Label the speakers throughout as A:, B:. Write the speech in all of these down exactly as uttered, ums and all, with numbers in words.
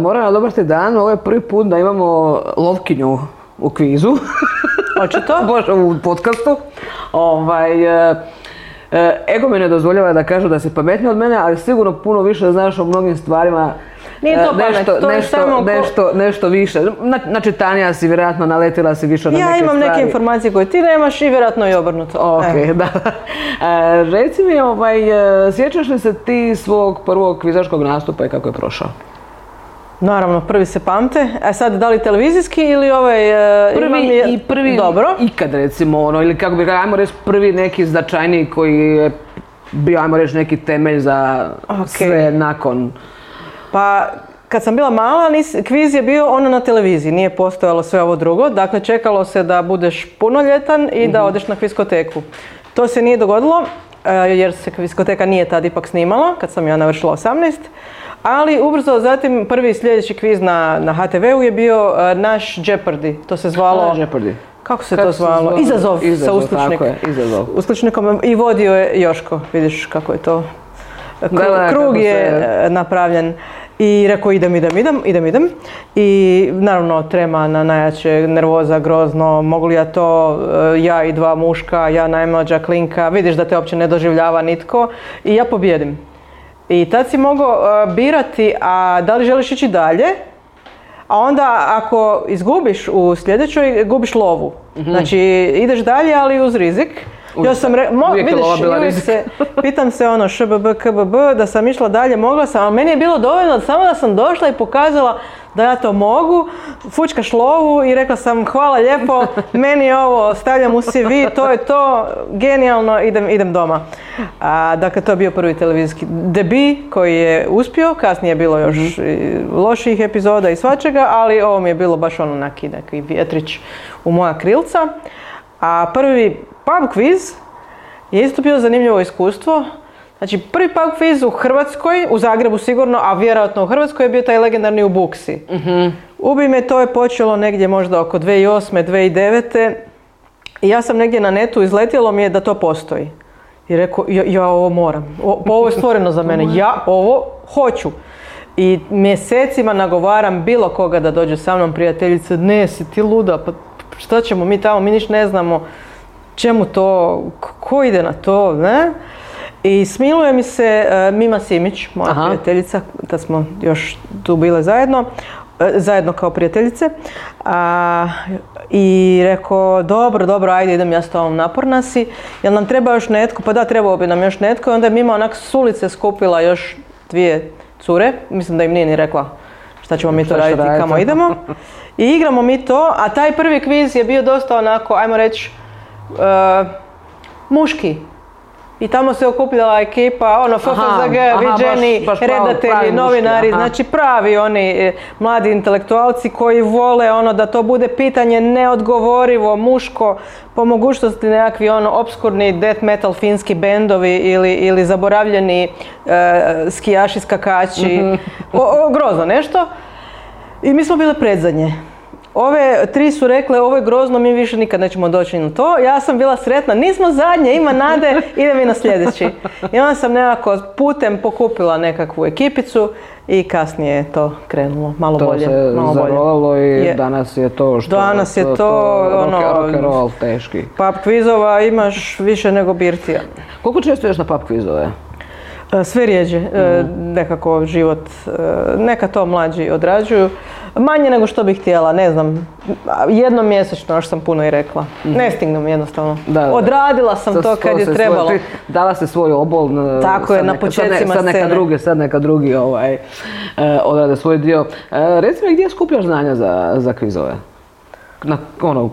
A: moram odobrati dan, ovo je prvi put da imamo lovkinju u kvizu.
B: Očito?
A: Bože, u podcastu. Ovaj, e, e, ego mi ne dozvoljava da kažu da si pametnija od mene, ali sigurno puno više znaš o mnogim stvarima.
B: Nije to pamet,
A: nešto,
B: to je
A: nešto,
B: samo...
A: Nešto, nešto više. Znači, Tanija si vjerojatno naletila si više na
B: ja
A: neke stvari.
B: Ja imam neke informacije koje ti nemaš i vjerojatno i obrnuto.
A: Ok, e. da. E, reci mi, ovaj, sjećaš li se ti svog prvog kvizaškog nastupa i kako je prošao?
B: Naravno, prvi se pamte. A sad, da li televizijski ili ovaj...
A: Prvi
B: je...
A: i prvi
B: Dobro.
A: ikad, recimo, ono, ili kako bi, ajmo reći, prvi neki značajniji koji je bio, ajmo reći, neki temelj za okay. sve nakon...
B: Pa, kad sam bila mala, nis, kviz je bio ono na televiziji, nije postojalo sve ovo drugo. Dakle, čekalo se da budeš punoljetan i da odeš na kviskoteku. To se nije dogodilo, jer se kviskoteka nije tad ipak snimala, kad sam ja navršila osamnaest. Ali ubrzo zatim prvi sljedeći kviz na, na ha te veu je bio uh, naš Jeopardy. To se zvalo...
A: A, Jeopardy.
B: Kako se kako to zvalo? zvalo? Izazov,
A: Izazov
B: sa Uslučnik.
A: Tako je, izazov.
B: Uslučnikom i vodio je Joško, vidiš kako je to. Kru, da, da, krug je se... napravljen. I rekao idem, idem, idem, idem, idem. I naravno trema na najjače, nervoza, grozno, mogu li ja to, ja i dva muška, ja najmlađa klinka, vidiš da te uopće ne doživljava nitko i ja pobjedim. I tad si mogao uh, birati, a da li želiš ići dalje, a onda ako izgubiš u sljedećoj, gubiš lovu. Mm-hmm. Znači ideš dalje, ali uz rizik. Ja sam re, mo, vidiš, se, pitam se ono šbb, kbb, da sam išla dalje, mogla sam, ali meni je bilo dovoljno samo da sam došla i pokazala da ja to mogu, fučkaš lovu i rekla sam hvala lijepo, meni je ovo, stavljam u ce ve, to je to, genijalno, idem, idem doma. A, dakle, to je bio prvi televizijski debi koji je uspio, kasnije je bilo još mm-hmm. loših epizoda i svačega, ali ovo mi je bilo baš ono neki, neki vjetrić u moja krilca. A prvi pub quiz je isto bio zanimljivo iskustvo. Znači, prvi pub quiz u Hrvatskoj, u Zagrebu sigurno, a vjerojatno u Hrvatskoj je bio taj legendarni u Buksi. Mm-hmm. Ubi me, to je počelo negdje možda oko dvije tisuće osme, dvije tisuće devete. I ja sam negdje na netu, izletjelo mi je da to postoji. I rekao, ja, ja ovo moram. O, ovo je stvoreno za mene. Ja ovo hoću. I mjesecima nagovaram bilo koga da dođe sa mnom, prijateljice, ne, si ti luda, pa šta ćemo mi tamo, mi niš ne znamo čemu to, ko ide na to, ne? I smiluje mi se uh, Mima Simić, moja Aha. prijateljica, da smo još tu bile zajedno, uh, zajedno kao prijateljice. Uh, I rekao, dobro, dobro, ajde idem ja s tobom, naporna si, jel nam treba još netko? Pa da, trebao bi nam još netko. I onda je Mima onak s ulice skupila još dvije cure, mislim da im nije ni rekla šta ćemo mi to raditi i kamo idemo. I igramo mi to, a taj prvi kviz je bio dosta onako, ajmo reći, uh, muški. I tamo se okupljala ekipa, ono, ef ef ze ge, viđeni, redatelji, novinari, muški, znači pravi oni e, mladi intelektualci koji vole ono da to bude pitanje neodgovorivo, muško, po mogućnosti nekakvi ono obskurni death metal finski bendovi ili, ili zaboravljeni e, skijaši, skakači, mm-hmm. o, o, grozno nešto. I mi smo bile predzadnje. Ove tri su rekle, ovo je grozno, mi više nikad nećemo doći na to. Ja sam bila sretna, nismo zadnje, ima nade, idem i na sljedeći. I onda sam nekako putem pokupila nekakvu ekipicu i kasnije je to krenulo, malo
A: to
B: bolje.
A: To se
B: malo
A: zarolalo
B: bolje.
A: I
B: je.
A: Danas je to što...
B: Danas je to,
A: to
B: ono...
A: rock and roll teški.
B: Pub kvizova imaš više nego birtija.
A: Koliko često ješ na pub kvizove?
B: Sve rijeđe, mm. nekako život, neka to mlađi odrađuju. Manje nego što bih htjela, ne znam, jednom mjesečno, još sam puno i rekla. Mm. Ne stignem jednostavno. Da, da. Odradila sam Sa to kad je trebalo.
A: Svoj, dala se svoj obol.
B: Tako je, na početcima
A: sad neka
B: scene.
A: Drugi, sad neka drugi ovaj, odrade svoj dio. Reci mi, gdje skupljaš znanja za, za kvizove? Na, ono,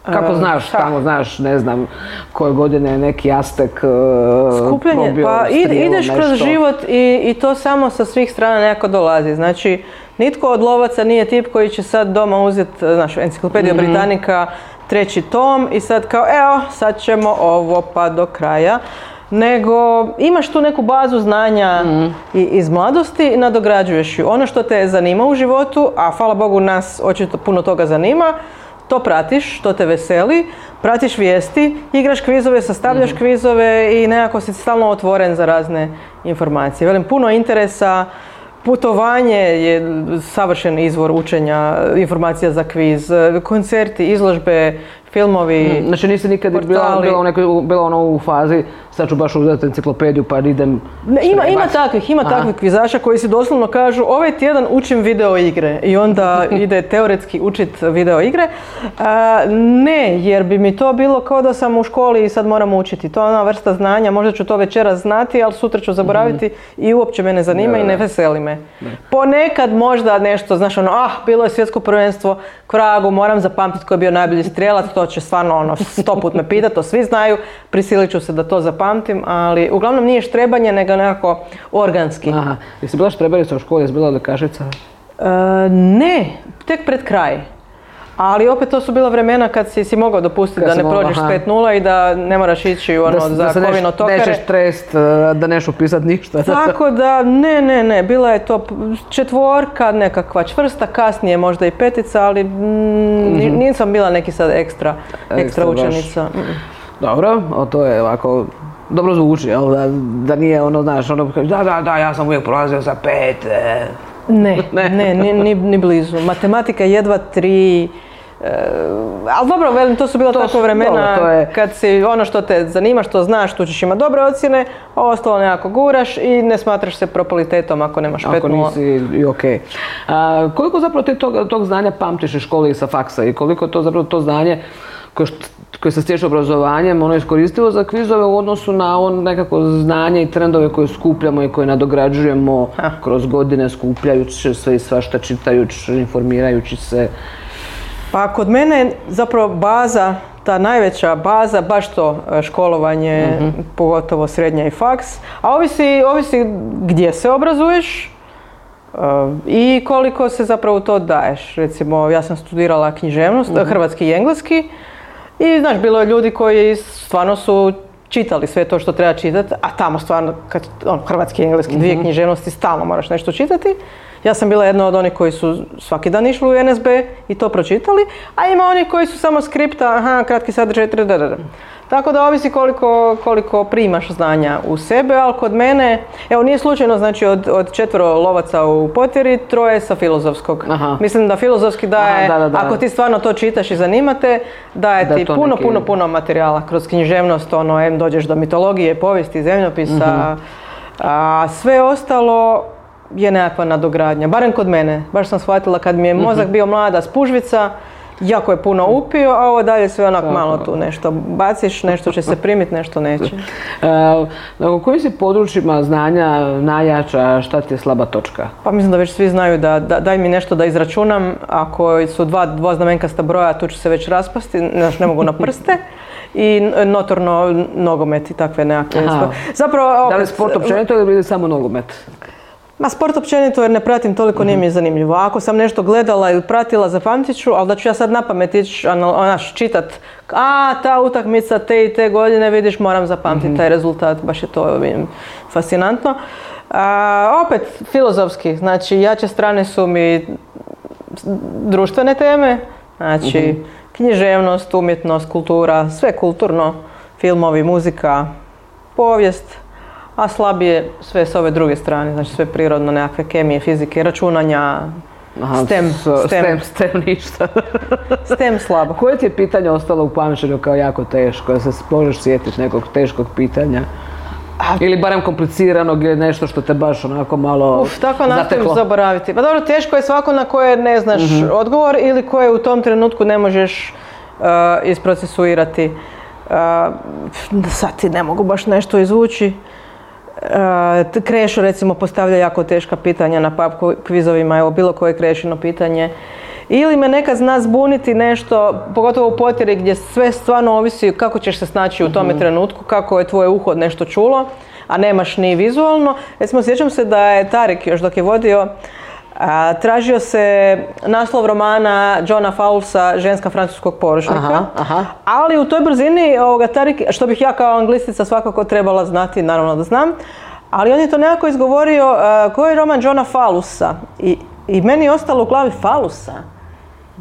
A: kako znaš, tamo znaš, ne znam, koje godine je neki Aztek uh,
B: skupljanje, pa id, ideš nešto. Kroz život i, i to samo sa svih strana nekako dolazi. Znači, nitko od lovaca nije tip koji će sad doma uzeti, znaš, enciklopediju mm-hmm. Britanika, treći tom i sad kao, evo, sad ćemo ovo pa do kraja. Nego imaš tu neku bazu znanja mm. i, iz mladosti i nadograđuješ ju. Ono što te zanima u životu, a hvala Bogu nas očito puno toga zanima, to pratiš, to te veseli, pratiš vijesti, igraš kvizove, sastavljaš mm-hmm. kvizove i nekako si stalno otvoren za razne informacije. Velim, puno interesa, putovanje je savršen izvor učenja, informacija za kviz, koncerti, izložbe, filmovi,
A: Znači nisi nikad bila, bila, u nekoj, bila ono u fazi, sad ću baš uzeti enciklopediju pa idem...
B: Ne, ima, ima takvih, ima takvih kvizaša koji si doslovno kažu ovaj tjedan učim video igre i onda ide teoretski učit video igre. A, ne, jer bi mi to bilo kao da sam u školi i sad moram učiti. To je ona vrsta znanja, možda ću to večeras znati, ali sutra ću zaboraviti mm-hmm. i uopće me ne zanima ne, i ne veseli me. Ne. Ponekad možda nešto, znaš ono, ah, bilo je svjetsko prvenstvo, Kragu, moram zapamtiti ko je bio najbolji strijelac, to će stvarno ono, sto put me pitati, to svi znaju, prisilit ću se da to zapamtim, ali uglavnom nije štrebanje, nego nekako organski.
A: Aha, jesi bila štrebarica u školi, jesi bila odlikašica?
B: E, ne, tek pred kraj. Ali opet to su bila vremena kad si, si mogao dopustiti kad da ne mogla, prođeš s pet nula i da ne moraš ići ono, da, za da kovino tokare.
A: Da se neš trest, da neš upisati ništa.
B: Tako da, ne, ne, ne, bila je to četvorka, nekakva čvrsta, kasnije možda i petica, ali mm, mm-hmm. nisam bila neki sad ekstra, ekstra, ekstra učenica. Mm.
A: Dobro, o to je ovako, dobro zvuči, jel? Da, da nije ono, znaš, ono, da, da, da, ja sam uvijek prolazio sa pet. E.
B: Ne, ne, ne, ni, ni, ni blizu. Matematika jedva tri. Uh, ali dobro, velim, to su bila to tako vremena dobro, je... kad si ono što te zanima, što znaš, tu ćeš imati dobre ocjene, a ostalo nekako guraš i ne smatraš se propolitetom ako nemaš pet nula.
A: Ako nisi i okej. Okay. Uh, koliko zapravo ti tog, tog znanja pamtiš iz škole i sa faksa i koliko to zapravo to znanje koje, koje se stječe obrazovanjem, ono je iskoristivo za kvizove u odnosu na on nekako znanje i trendove koje skupljamo i koje nadograđujemo ha. kroz godine skupljajući sve i svašta, čitajući, informirajući se.
B: Pa kod mene je zapravo baza, ta najveća baza, baš to školovanje, mm-hmm. pogotovo srednja i faks, a ovisi, ovisi gdje se obrazuješ uh, i koliko se zapravo to daješ. Recimo, ja sam studirala književnost, mm-hmm. hrvatski i engleski i znaš, bilo je ljudi koji stvarno su čitali sve to što treba čitati, a tamo stvarno, kad, on, hrvatski i engleski, mm-hmm. dvije književnosti, stalno moraš nešto čitati. Ja sam bila jedna od onih koji su svaki dan išli u en es be i to pročitali, a ima oni koji su samo skripta, aha, kratki sadržaj, da. Tako da ovisi koliko, koliko primaš znanja u sebe, ali kod mene, evo nije slučajno, znači od, od četvero lovaca u Potjeri, troje sa filozofskog. Aha. Mislim da filozofski daje, aha, da, da, da. Ako ti stvarno to čitaš i zanimate, daje da ti puno, neki... puno, puno materijala kroz književnost, ono, em, dođeš do mitologije, povijesti, zemljopisa, uh-huh. a sve ostalo je nekakva nadogradnja, barem kod mene. Baš sam shvatila kad mi je mozak bio mlada spužvica, jako je puno upio, a ovo dalje sve onak malo tu nešto baciš, nešto će se primiti, nešto neće.
A: E, u kojim si područjima znanja najjača, šta ti je slaba točka?
B: Pa mislim da već svi znaju da, da daj mi nešto da izračunam, ako su dva dvoznamenkasta broja, tu ću se već raspasti, ne, ne mogu na prste. I notorno nogomet i takve nekakve.
A: Zapravo, opet, da li sport općenito ili samo nogomet?
B: Ma sport općenito jer ne pratim toliko, nije mi je zanimljivo. Ako sam nešto gledala ili pratila, zapamtit ću, ali da ću ja sad napamet ići onaš čitat, a ta utakmica te i te godine, vidiš, moram zapamtiti mm-hmm. taj rezultat, baš je to vidim, fascinantno. A, opet, filozofski, znači jače strane su mi društvene teme, znači mm-hmm. književnost, umjetnost, kultura, sve kulturno, filmovi, muzika, povijest. A slabije sve s ove druge strane, znači sve prirodno, nekakve kemije, fizike, računanja, aha, STEM,
A: STEM. STEM, STEM ništa.
B: STEM slabo.
A: Koje ti je pitanje ostalo u pamćenju kao jako teško? Da se možeš sjetiti nekog teškog pitanja? Ili barem kompliciranog ili nešto što te baš onako malo Uf,
B: tako nastojim zaboraviti. Pa dobro, teško je svako na koje ne znaš mm-hmm. odgovor ili koje u tom trenutku ne možeš uh, isprocesuirati. Uh, sad ti ne mogu baš nešto izvući. Uh, Krešo recimo postavlja jako teška pitanja na pub kvizovima, evo bilo koje Krešino pitanje. Ili me nekad zna zbuniti nešto, pogotovo u Potjeri gdje sve stvarno ovisi kako ćeš se snaći u tome mm-hmm. trenutku, kako je tvoje uho nešto čulo, a nemaš ni vizualno. Recimo sjećam se da je Tarik još dok je vodio, a, tražio se naslov romana Johna Fowlesa Ženska francuskog poručnika, aha, aha. ali u toj brzini ovoga Tarik, što bih ja kao anglistica svakako trebala znati, naravno da znam, ali on je to nekako izgovorio a, koji je roman Johna Fowlesa i, i meni je ostalo u glavi Fowlesa.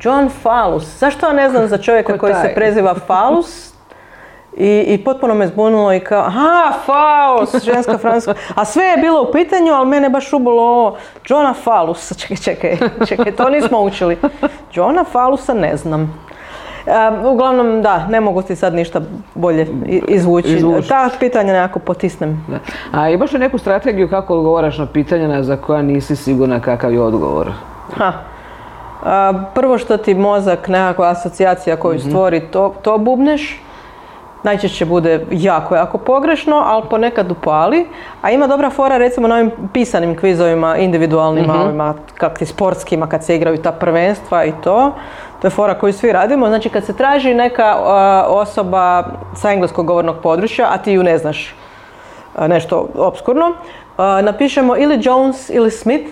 B: John Fowles. Zašto ja ne znam za čovjeka koji se preziva Fowles I, i potpuno me zbunilo i kao, aha, Faust, ženska francuska, a sve je bilo u pitanju, ali mene baš ubolo ovo, Johna Fallusa, čekaj, čekaj, čekaj, to nismo učili. Johna Fallusa ne znam. Um, uglavnom, da, ne mogu ti sad ništa bolje izvući. Izvuči. Ta pitanja nekako potisnem.
A: Da. A imaš li neku strategiju kako odgovaraš na pitanja za koja nisi sigurna kakav je odgovor?
B: Ha. A, prvo što ti mozak, nekakva asocijacija koju mm-hmm. stvori, to, to bubneš. Najčešće bude jako, jako pogrešno, ali ponekad upali. A ima dobra fora recimo na ovim pisanim kvizovima, individualnima, mm-hmm. ovima kakti sportskima, kad se igraju ta prvenstva i to. To je fora koju svi radimo. Znači kad se traži neka uh, osoba sa engleskog govornog područja, a ti ju ne znaš uh, nešto opskurno, uh, napišemo ili Jones ili Smith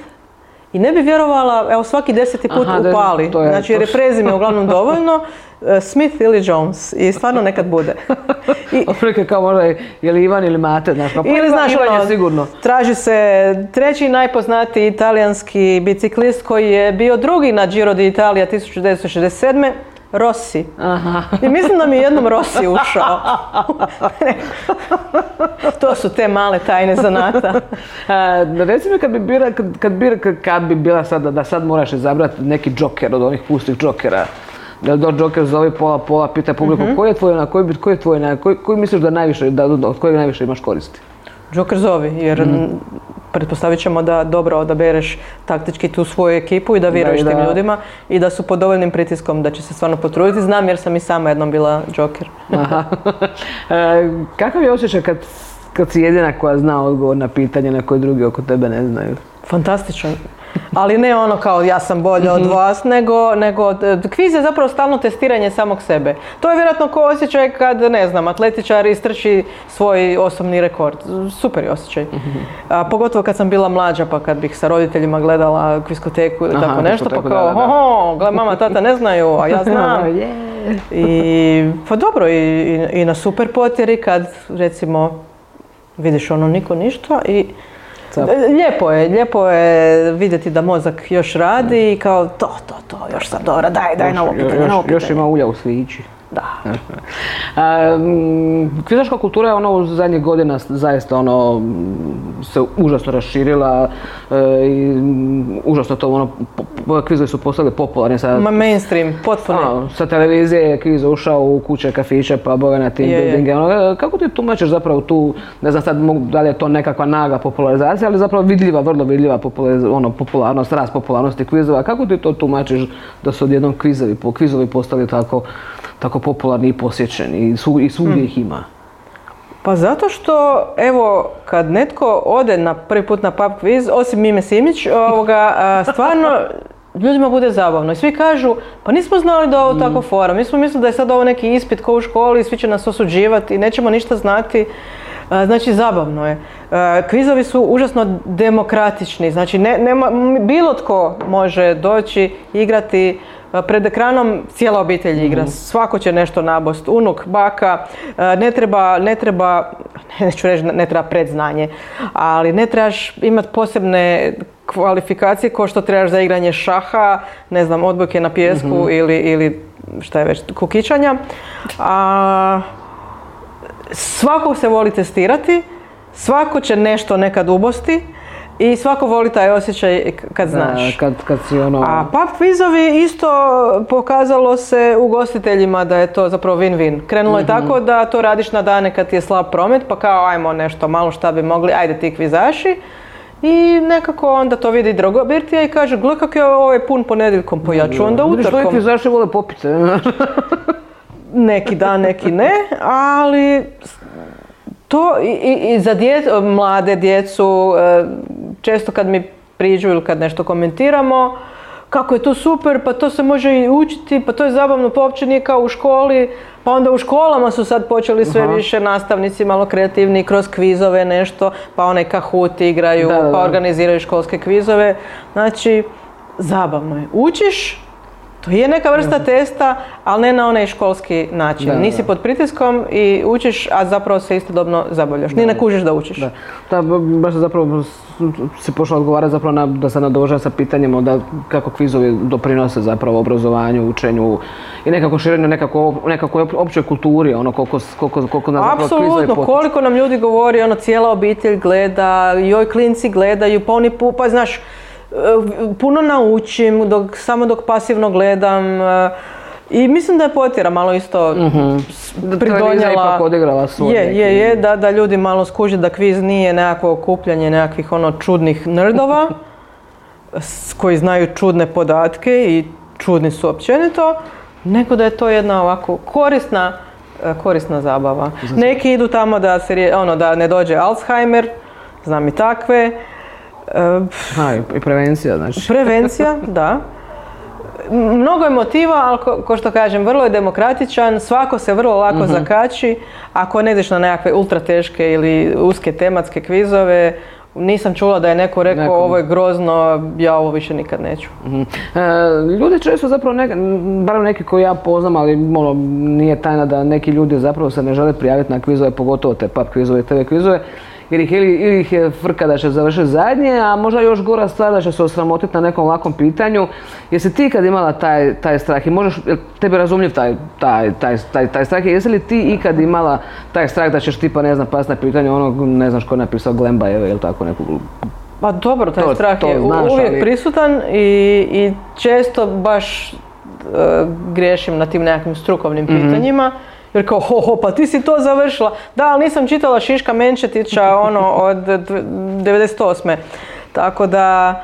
B: i ne bi vjerovala, evo svaki deseti put Aha, upali. Je, znači jer je prezime uglavnom dovoljno, uh, Smith ili Jones i stvarno nekad bude. I,
A: Otprilike kao možda je, je li Ivan ili Mate, znaš, no,
B: ili znaš
A: Ivan
B: ono,
A: je sigurno.
B: Traži se treći najpoznatiji italijanski biciklist koji je bio drugi na Giro d'Italia tisuću devetsto šezdeset sedme. Rossi. Aha. I mislim da mi je jednom Rossi ušao. To su te male tajne zanata.
A: A, reci mi kad bi bila, kad, kad bi, kad bi bila sad, da sad moraš izabrati neki džoker od onih pustih džokera, da do džoker zove pola pola, pita publiku mm-hmm. koji je tvoj, na koji, koji je tvoj, na koji, koji misliš da najviše, da od kojeg najviše imaš koristi?
B: Džoker zovi, jer mm-hmm. pretpostavit ćemo da dobro odabereš taktički tu svoju ekipu i da vjeruješ tim ljudima i da su pod dovoljnim pritiskom da će se stvarno potruditi. Znam jer sam i sama jednom bila džoker. Aha.
A: E, kakav je osjećaj kad, kad si jedina koja zna odgovor na pitanje na koje drugi oko tebe ne znaju?
B: Fantastičan. Ali ne ono kao ja sam bolja od vas, nego, nego kviz je zapravo stalno testiranje samog sebe. To je vjerojatno ko osjećaj kad, ne znam, atletičar istrči svoj osobni rekord. Super je osjećaj. A, pogotovo kad sam bila mlađa, pa kad bih sa roditeljima gledala kviskoteku ili tako nešto, pa kao, hoho, gle, mama, tata ne znaju, a ja znam. I, pa dobro, i, i, i na super potjeri kad, recimo, vidiš ono niko ništa i lijepo je, lijepo je vidjeti da mozak još radi i kao to, to, to, još sam dobra, daj, daj novo pitanje, novo pitanje.
A: Još ima ulja u svići.
B: Da.
A: Kvizaška kultura je ono u zadnjih godina zaista ono se užasno raširila e, i užasno to ono, kvizovi su postali popularni. Sa,
B: Ma mainstream, potpuno.
A: A, sa televizije je kviz ušao u kuće, kafiće, pubove, na team buildinge. Ono, kako ti tumačiš zapravo tu, ne znam sad da li je to nekakva naga popularizacija, ali zapravo vidljiva, vrlo vidljiva ono, popularnost, rast popularnosti kvizova. Kako ti to tumačiš da su odjednom kvizovi, kvizovi postali tako tako popularni i posjećeni i, su, i svugdje ih ima?
B: Pa zato što, evo, kad netko ode na prvi put na pub kviz, osim Mime Simić, ovoga, stvarno ljudima bude zabavno. I svi kažu, pa nismo znali da je ovo mm. tako fora, mi smo mislili da je sad ovo neki ispit ko u školi, svi će nas osuđivati i nećemo ništa znati. Znači, zabavno je. Kvizovi su užasno demokratični, znači ne, nema, bilo tko može doći, igrati. Pred ekranom cijela obitelj igra, mm-hmm. svako će nešto nabost, unuk, baka, ne treba, ne treba, neću reći ne treba predznanje, ali ne trebaš imati posebne kvalifikacije kao što trebaš za igranje šaha, ne znam, odbojke na pijesku mm-hmm. ili, ili šta je već, kukičanja. A, svako se voli testirati, svako će nešto nekad ubosti. I svako voli taj osjećaj kad znaš.
A: Da, kad, kad si ono...
B: A pub kvizovi isto pokazalo se ugostiteljima da je to zapravo win-win. Krenulo mm-hmm. je tako da to radiš na dane kad ti je slab promet, pa kao ajmo nešto malo šta bi mogli, ajde ti kvizaši. I nekako onda to vidi drugo birtija i kaže, gle kak je ovaj pun ponedjeljkom, pa ja ću onda utorkom.
A: Vidiš, kvizaši vole popice.
B: Neki dan, neki ne, ali... To i, i, i za dje, mlade djecu, često kad mi priđu ili kad nešto komentiramo, kako je to super, pa to se može i učiti, pa to je zabavno, pa uopće nije kao u školi, pa onda u školama su sad počeli sve Aha. više nastavnici malo kreativni kroz kvizove nešto, pa onaj Kahoot igraju, da, da. pa organiziraju školske kvizove. Znači, zabavno je. Učiš, to je neka vrsta testa, ali ne na onaj školski način. Da, Nisi da. pod pritiskom i učiš, a zapravo se istodobno zabavljaš. Ni ne kužiš da učiš. Da,
A: da baš zapravo si pošla odgovarati zapravo na, da se nadovežem sa pitanjem onda kako kvizovi doprinose zapravo obrazovanju, učenju i nekako širenju nekako, nekako općoj kulturi, ono koliko, koliko, koliko nam zapravo kvizovi potiču.
B: Apsolutno, koliko nam ljudi govori, ono cijela obitelj gleda, joj klinci gledaju, pa oni pa znaš, puno naučim, dok, samo dok pasivno gledam i mislim da je potjera malo isto mm-hmm. pridonijela.
A: Ipak odigrala svoj
B: je,
A: neki...
B: je, je, da, da ljudi malo skuže da kviz nije nekako okupljanje nekakvih ono čudnih nerdova koji znaju čudne podatke i čudni su općenito, nego da je to jedna ovako korisna, korisna zabava. Znači. Neki idu tamo da, se, ono, da ne dođe Alzheimer, znam i takve.
A: Ha, i prevencija, znači.
B: Prevencija, da. Mnogo je motiva, ali ko, ko što kažem, vrlo je demokratičan, svako se vrlo lako mm-hmm. zakači. Ako ne ideš na nekakve ultra teške ili uske tematske kvizove, nisam čula da je neko rekao Nekom. ovo je grozno, ja ovo više nikad neću.
A: Mm-hmm. E, ljudi često zapravo, neka, barem neki koji ja poznam, ali ono, nije tajna da neki ljudi zapravo se ne žele prijaviti na kvizove, pogotovo te pub kvizove i te ve kvizove. Jer ih, ili, ili ih je frka da će završiti zadnje, a možda još gora stvar da će se osramotiti na nekom lakom pitanju. Jesi ti ikad imala taj, taj strah i možeš, tebi razumljiv taj, taj, taj, taj, taj strah, jesi li ti ikad imala taj strah da ćeš tipa, ne znam, pasti na pitanje onog, ne znaš ko je napisao Glembajeve ili tako neku...
B: Pa dobro, taj
A: to,
B: strah
A: to
B: je
A: znaš,
B: uvijek
A: ali...
B: prisutan i, i često baš uh, griješim na tim nekakvim strukovnim mm-hmm. pitanjima. Jer kao, ho, ho, pa ti si to završila. Da, ali nisam čitala Šiška Menčetića ono, od devedeset osme. Tako da,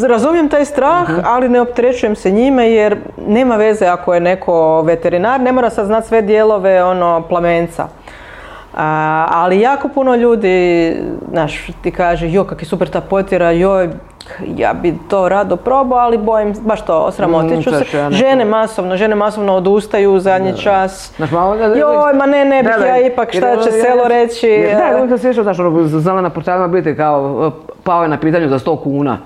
B: razumijem taj strah, uh-huh. ali ne opterećujem se njime jer nema veze ako je neko veterinar, ne mora sad znati sve dijelove ono, plamenca. A, ali jako puno ljudi, znaš, ti kaže, jo, kak je super ta potjera, joj, ja bi to rado probao, ali bojim, baš to, osramotit ću mm, se. Ja žene masovno, žene masovno odustaju u zadnji da, čas. Znaš, malo, da, joj, ma ne, ne bih da, ja ipak, šta će selo ja, reći.
A: Da, ja sam svišao, znaš, ono, znala na portalima biti kao, pao je na pitanju za sto kuna.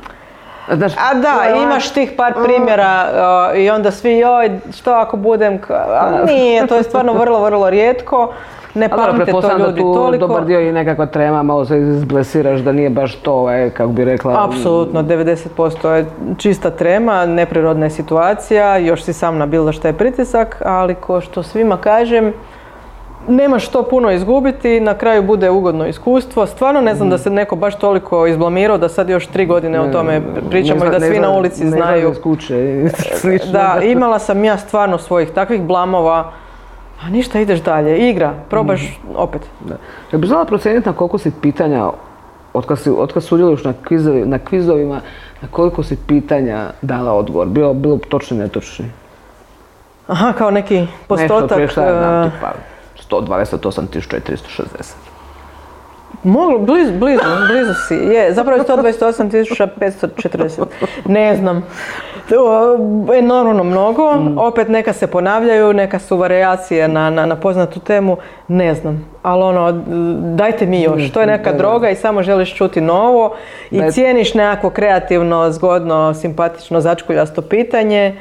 A: Znaš,
B: a da, joj, imaš tih par primjera o, i onda svi, joj, što ako budem, a nije, to je stvarno vrlo, vrlo rijetko. Ne pamte to ljudi
A: da tu
B: toliko.
A: Dobar dio i nekakva trema, malo se izblesiraš da nije baš to, e, kako bi rekla.
B: Apsolutno, devedeset posto je čista trema, neprirodna je situacija, još si sam nabilda šta je pritisak, ali ko što svima kažem, nemaš što puno izgubiti, na kraju bude ugodno iskustvo. Stvarno ne znam mm. da se neko baš toliko izblamirao da sad još tri godine ne, o tome pričamo i da svi na ulici
A: ne
B: znaju.
A: Ne kuće.
B: Da, imala sam ja stvarno svojih takvih blamova. A ništa, ideš dalje, igra, probaš mm. opet.
A: Da. Kad bi znala procijeniti na koliko si pitanja, otkad, si, otkad sudjeluješ na, kvizovi, na kvizovima, na koliko si pitanja dala odgovor, bilo, bilo točni, netočni?
B: Aha, kao neki postotak.
A: Nešto, prije šta je nam, tipa sto dvadeset osam tisuća tristo šezdeset.
B: Moglo, blizu, blizu, blizu si. Je, zapravo je sto dvadeset osam tisuća petsto četrdeset. Ne znam. Enormno mnogo. Mm. Opet neka se ponavljaju, neka su varijacije na, na, na poznatu temu. Ne znam. Ali ono, dajte mi još. To je neka droga i samo želiš čuti novo. I cijeniš nekako kreativno, zgodno, simpatično, začkuljasto pitanje.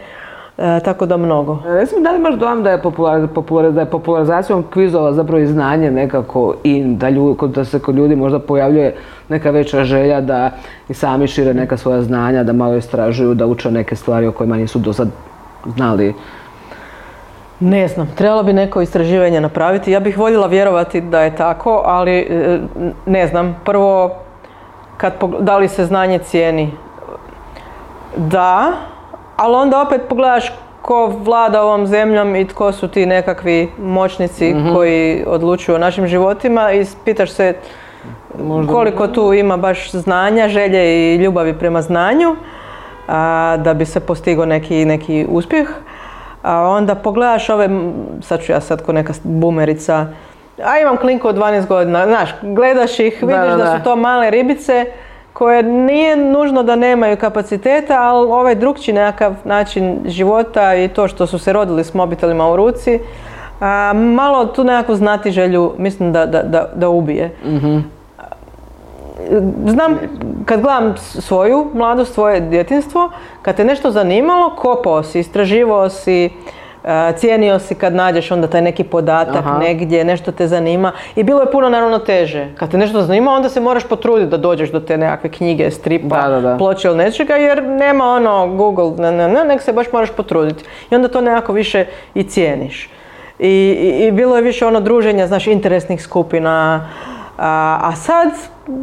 B: E, tako da mnogo.
A: Recimo, da li imaš dojam da je, popular, popular, da je popularizacijom kvizova zapravo i znanje nekako in, da, ljudi, da se kod ljudi možda pojavljuje neka veća želja da i sami šire neka svoja znanja, da malo istražuju, da uče neke stvari o kojima nisu do sad znali?
B: Ne znam, trebalo bi neko istraživanje napraviti. Ja bih voljela vjerovati da je tako, ali ne znam. Prvo, kad, da li se znanje cijeni? Da. Ali onda opet pogledaš ko vlada ovom zemljom i tko su ti nekakvi moćnici mm-hmm. koji odlučuju o našim životima i pitaš se možda koliko tu ima baš znanja, želje i ljubavi prema znanju a, da bi se postigao neki, neki uspjeh. A onda pogledaš ove, sad ću ja sad ko neka bumerica, a imam klinku od dvanaest godina, znaš, gledaš ih, vidiš da, da, da. da su to male ribice koje nije nužno da nemaju kapaciteta, ali ovaj drugčiji nekakav način života i to što su se rodili s mobitelima u ruci, a, malo tu nekakvu znatiželju mislim da, da, da, da ubije. Mm-hmm. znam, kad gledam svoju mladost, svoje djetinjstvo, kad te nešto zanimalo, kopao si, istraživao si, cijenio si kad nađeš onda taj neki podatak Aha. negdje, nešto te zanima i bilo je puno naravno teže. Kad te nešto zanima, onda se moraš potruditi da dođeš do te nekakve knjige, stripa, da, da, da. ploče ili nečega, jer nema ono Google, ne, ne, ne, nek se baš moraš potruditi. I onda to nekako više i cijeniš. I, i, i bilo je više ono druženja, znaš, interesnih skupina, a, a sad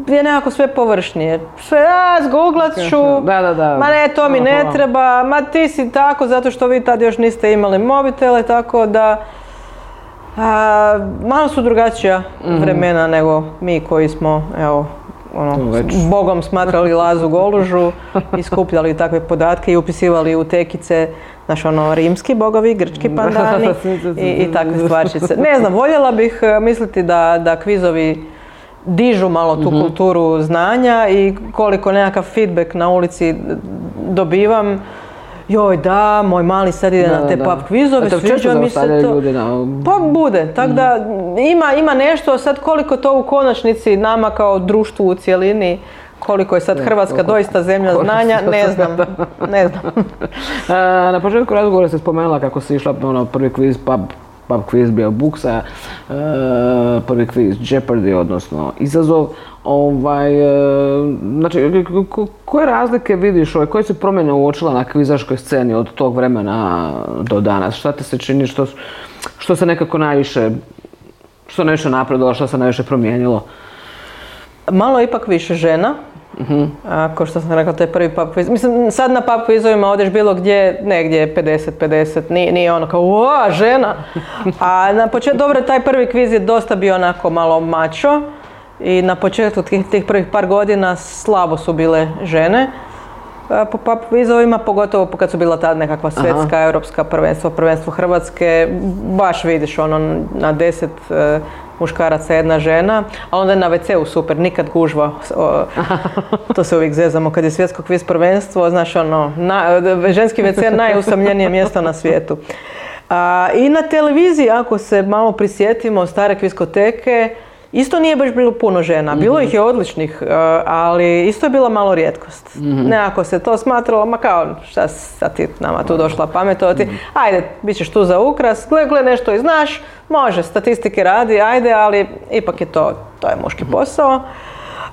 B: je nekako sve površnije. Sve, a, zgooglat ću,
A: da, da, da.
B: ma ne, to mi ne treba, ma ti si tako, zato što vi tad još niste imali mobitele, tako da a, malo su drugačija mm-hmm. vremena nego mi koji smo, evo, ono, Bogom smatrali Lazu Golužu i skupljali takve podatke i upisivali u tekice, znaš, ono, rimski bogovi, grčki pandani i, i takve stvarčice. Ne znam, voljela bih misliti da, da kvizovi dižu malo tu mm-hmm. kulturu znanja i koliko nekakav feedback na ulici dobivam. Joj da, moj mali sad ide da, na te da. pub kvizove, sviđa mi se to. Na... Pa bude, tako mm. da ima, ima nešto, sad koliko to u konačnici nama kao društvu u cjelini, koliko je sad Hrvatska koliko, doista zemlja znanja, ne znam, ne znam.
A: A, na početku razgovora se spomenula kako si išla ono, prvi kviz pub, pub quiz bio Buksa, uh, prvi kviz Jeopardy, odnosno izazov. Ovaj, uh, znači, ko, koje razlike vidiš, ovaj, koje se promjene uočila na kvizaškoj sceni od tog vremena do danas? Šta te se čini, što, što se nekako najviše, što najviše napredovalo, što se najviše promijenilo?
B: Malo ipak više žena. Uh-huh. Ako što sam rekla, to je prvi pub quiz. Mislim, sad na pub quizovima odeš bilo gdje, negdje pedeset pedeset, nije, nije ono kao uaa, žena. A na početku, dobro, taj prvi kviz je dosta bio onako malo mačo i na početku tih, tih prvih par godina slabo su bile žene po pub quizovima, pogotovo kad su bila ta nekakva svjetska, Aha. europska prvenstva, prvenstvo Hrvatske, baš vidiš ono na deset uh, muškaraca jedna žena, a onda je na ve ce u super, nikad gužva, o, to se uvijek zezamo kad je svjetsko kviz prvenstvo, znaš ono, na, ženski ve ce je najusamljenije mjesto na svijetu. A, i na televiziji, ako se malo prisjetimo stare kviskoteke, isto nije baš bilo puno žena, bilo mm-hmm. ih je odličnih, ali isto je bila malo rijetkost. Mm-hmm. Nekako se to smatralo, ma kao šta sad ti nama tu došla pametovati, mm-hmm. ajde, bit ćeš tu za ukras, gle, gle, nešto i znaš, može, statistike radi, ajde, ali ipak je to, to je muški posao.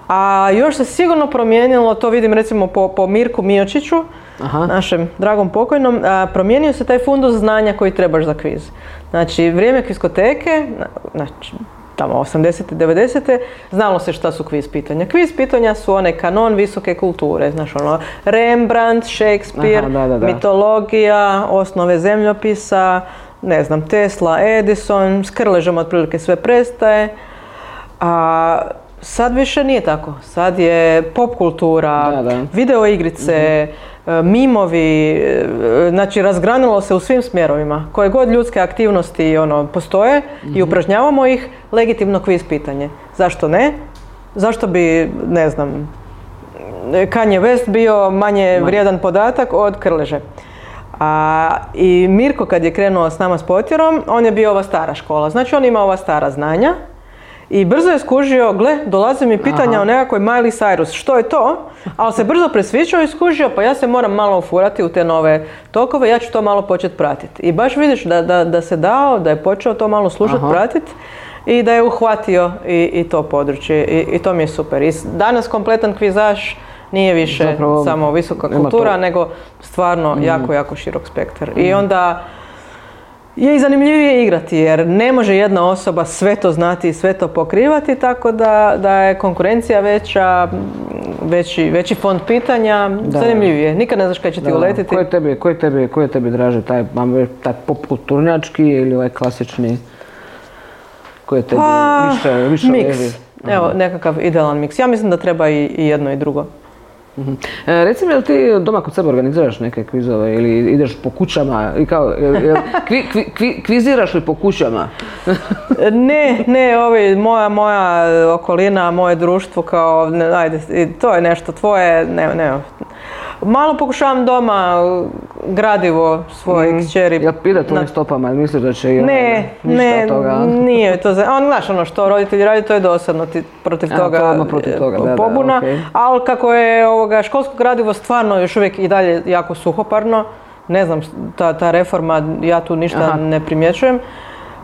B: A još se sigurno promijenilo, to vidim recimo po, po Mirku Miočiću, Aha. našem dragom pokojnom, a, promijenio se taj fundus znanja koji trebaš za kviz. Znači, vrijeme kviskoteke, znači, tamo osamdesete, devedesete, znalo se šta su kviz pitanja. Kviz pitanja su one kanon visoke kulture, znaš ono, Rembrandt, Shakespeare, Aha, da, da, da. mitologija, osnove zemljopisa, ne znam, Tesla, Edison, s Krležom otprilike sve prestaje. A sad više nije tako. Sad je pop kultura, da, da. video igrice, mm-hmm. mimovi, znači razgranilo se u svim smjerovima. Koje god ljudske aktivnosti ono, postoje mm-hmm. i upražnjavamo ih, legitimno kviz pitanje. Zašto ne? Zašto bi, ne znam, Kanye West bio manje Man. vrijedan podatak od Krleže? A, i Mirko kad je krenuo s nama s Potjerom, on je bio ova stara škola. Znači on ima ova stara znanja. I brzo je skužio, gle, dolaze mi pitanja Aha. o nekakvoj Miley Cyrus, što je to? Ali se brzo presvičao i skužio, pa ja se moram malo ufurati u te nove tokove, ja ću to malo početi pratiti. I baš vidiš da, da, da se dao, da je počeo to malo slušati, pratiti i da je uhvatio i, i to područje. I, I to mi je super. I danas kompletan kvizaš nije više Zapravo, samo visoka kultura, nego stvarno mm. jako, jako širok spektar. Mm. I onda je i zanimljivije igrati jer ne može jedna osoba sve to znati i sve to pokrivati, tako da, da je konkurencija veća, veći, veći fond pitanja, da. zanimljivije. Nikad ne znaš kada će ti da. uletiti.
A: Ko je tebi, ko je tebi, ko je tebi draže, taj, taj popkulturnjački ili ovaj klasični? Ko je tebi pa, više, više
B: miks. Evo, nekakav idealan miks. Ja mislim da treba i, i jedno i drugo.
A: Uh-huh. E, reci mi, jel ti doma kod sebe organiziraš neke kvizove ili ideš po kućama i kao, jel, jel, kvi, kvi, kvi, kviziraš li po kućama?
B: ne, ne, ovi, moja, moja okolina, moje društvo kao, ne, ajde, to je nešto tvoje, ne, ne. Malo pokušavam doma gradivo svoje mm. kćeri.
A: Jel ide to na stopama, misliš da će i
B: ne, ne, nije to za... On, znaš, ono što roditelji radi, to je dosadno, ti protiv
A: A,
B: toga,
A: to protiv toga da,
B: pobuna,
A: da, okay.
B: Ali kako je ovoga, školsko gradivo stvarno još uvijek i dalje jako suhoparno, ne znam, ta, ta reforma, ja tu ništa Aha. ne primjećujem.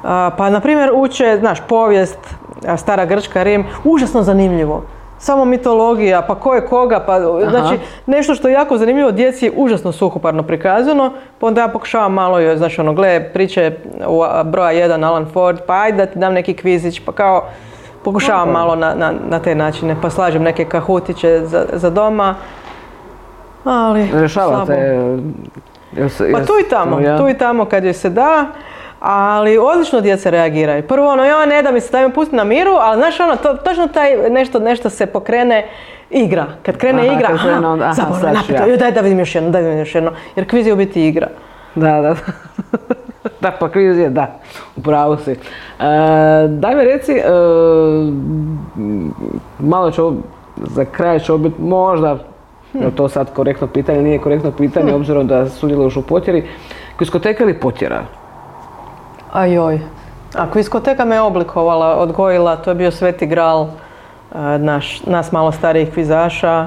B: A, pa, na primjer, uče, znaš, povijest, stara Grčka, Rim, užasno zanimljivo. Samo mitologija, pa ko je koga, pa znači nešto što je jako zanimljivo, djeci je užasno suhoparno prikazano, pa onda ja pokušavam malo joj, znači ono, gle, priče broja jedan Alan Ford, pa ajde da ti dam neki kvizić, pa kao pokušavam malo na, na, na te načine, pa slažem neke kahutiće za, za doma, ali
A: rješavate,
B: jes, pa tu i tamo, ja. tu i tamo kad joj se da. Ali odlično djeca reagiraju. Prvo ono, joj ne da mi se stavim pusti na miru, ali znaš ono, to, točno taj nešto, nešto se pokrene igra. Kad krene aha, igra, aha, zaboravim, napito, joj daj da vidim još jedno, daj da vidim još jedno. Jer kviz je u biti igra.
A: Da, da. Da, pa kviz je, da, upravo si. E, daj mi reci, e, malo ću, za kraj će biti možda, hmm. je to sad korektno pitanje, nije korektno pitanje, hmm. obzirom da sudjeluješ u potjeri. Kviskoteka ili potjera?
B: Ajoj, a kviskoteka me oblikovala, odgojila, to je bio sveti gral naš, nas malo starijih kvizaša.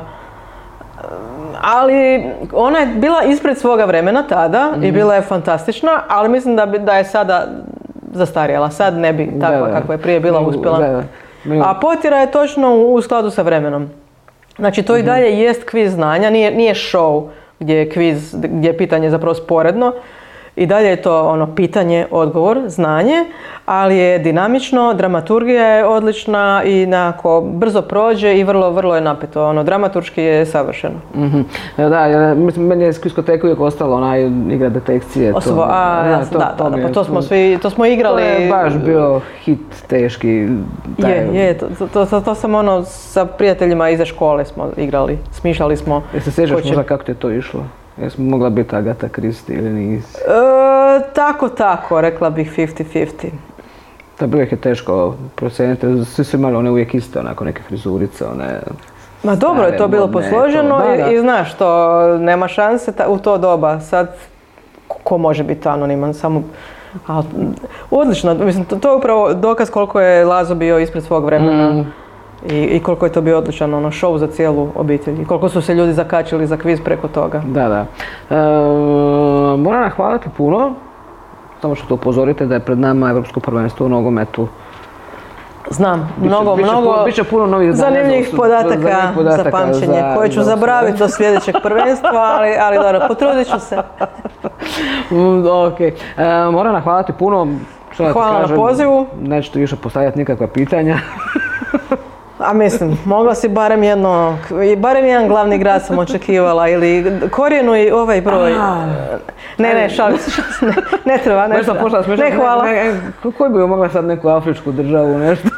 B: Ali ona je bila ispred svoga vremena tada mm-hmm. i bila je fantastična, ali mislim da, bi, da je sada zastarjela. Sad ne bi takva kakva je prije bila uspjela. Da, da. A potjera je točno u skladu sa vremenom. Znači to mm-hmm. i dalje jest kviz znanja, nije, nije show gdje je kviz, gdje je pitanje zapravo sporedno. I dalje je to ono pitanje, odgovor, znanje, ali je dinamično, dramaturgija je odlična i nekako brzo prođe i vrlo, vrlo je napeto. Ono, dramaturški je savršeno.
A: Mm-hmm. Da, ja, mislim, meni je iz kviskoteke uvijek ostalo onaj igra detekcije.
B: Osoba, to, a, da, to, da, to, da, pa to smo svi, to smo igrali.
A: To je baš bio hit teški.
B: Taj... Je, je, to, to, to, to sam ono sa prijateljima iza škole smo igrali, smišljali smo.
A: Jesi se sjećaš možda kako ti je to išlo? Jesmo mogla biti Agatha Christie ili nisi?
B: E, tako, tako, rekla bih fifty fifty.
A: Da, bilo je teško procijeniti, svi su imali one uvijek iste, onako neke frizurice, one...
B: Ma dobro je to bilo posloženo to, da, da. I, i znaš to, nema šanse ta, u to doba, sad ko može biti anoniman, samo... A, odlično, mislim, to, to je upravo dokaz koliko je Lazo bio ispred svog vremena. Mm. I, I koliko je to bio odličan ono, show za cijelu obitelj i koliko su se ljudi zakačili za kviz preko toga.
A: Da, da. E, moram nahvaliti puno, samo što to upozorite da je pred nama Evropsko prvenstvo u nogometu.
B: Znam, biće, mnogo,
A: biće,
B: mnogo
A: biće puno novih
B: zanimljivih podataka, podataka za pamćenje za, koje ću za zaboraviti do sljedećeg prvenstva, ali, ali dobro, potrudit ću se.
A: Ok, e, moram nahvaliti puno.
B: Hvala kažem, na pozivu.
A: Neću ti više postavljati nikakva pitanja.
B: A mislim, mogla si barem jedno, barem jedan glavni grad sam očekivala ili korijenu i ovaj broj. A, ne, ne, šalim se, šalim se, ne, ne treba, ne treba. Pošla, smešla, ne, hvala. Ne, ne,
A: koji bi mogla sad neku afričku državu, nešto?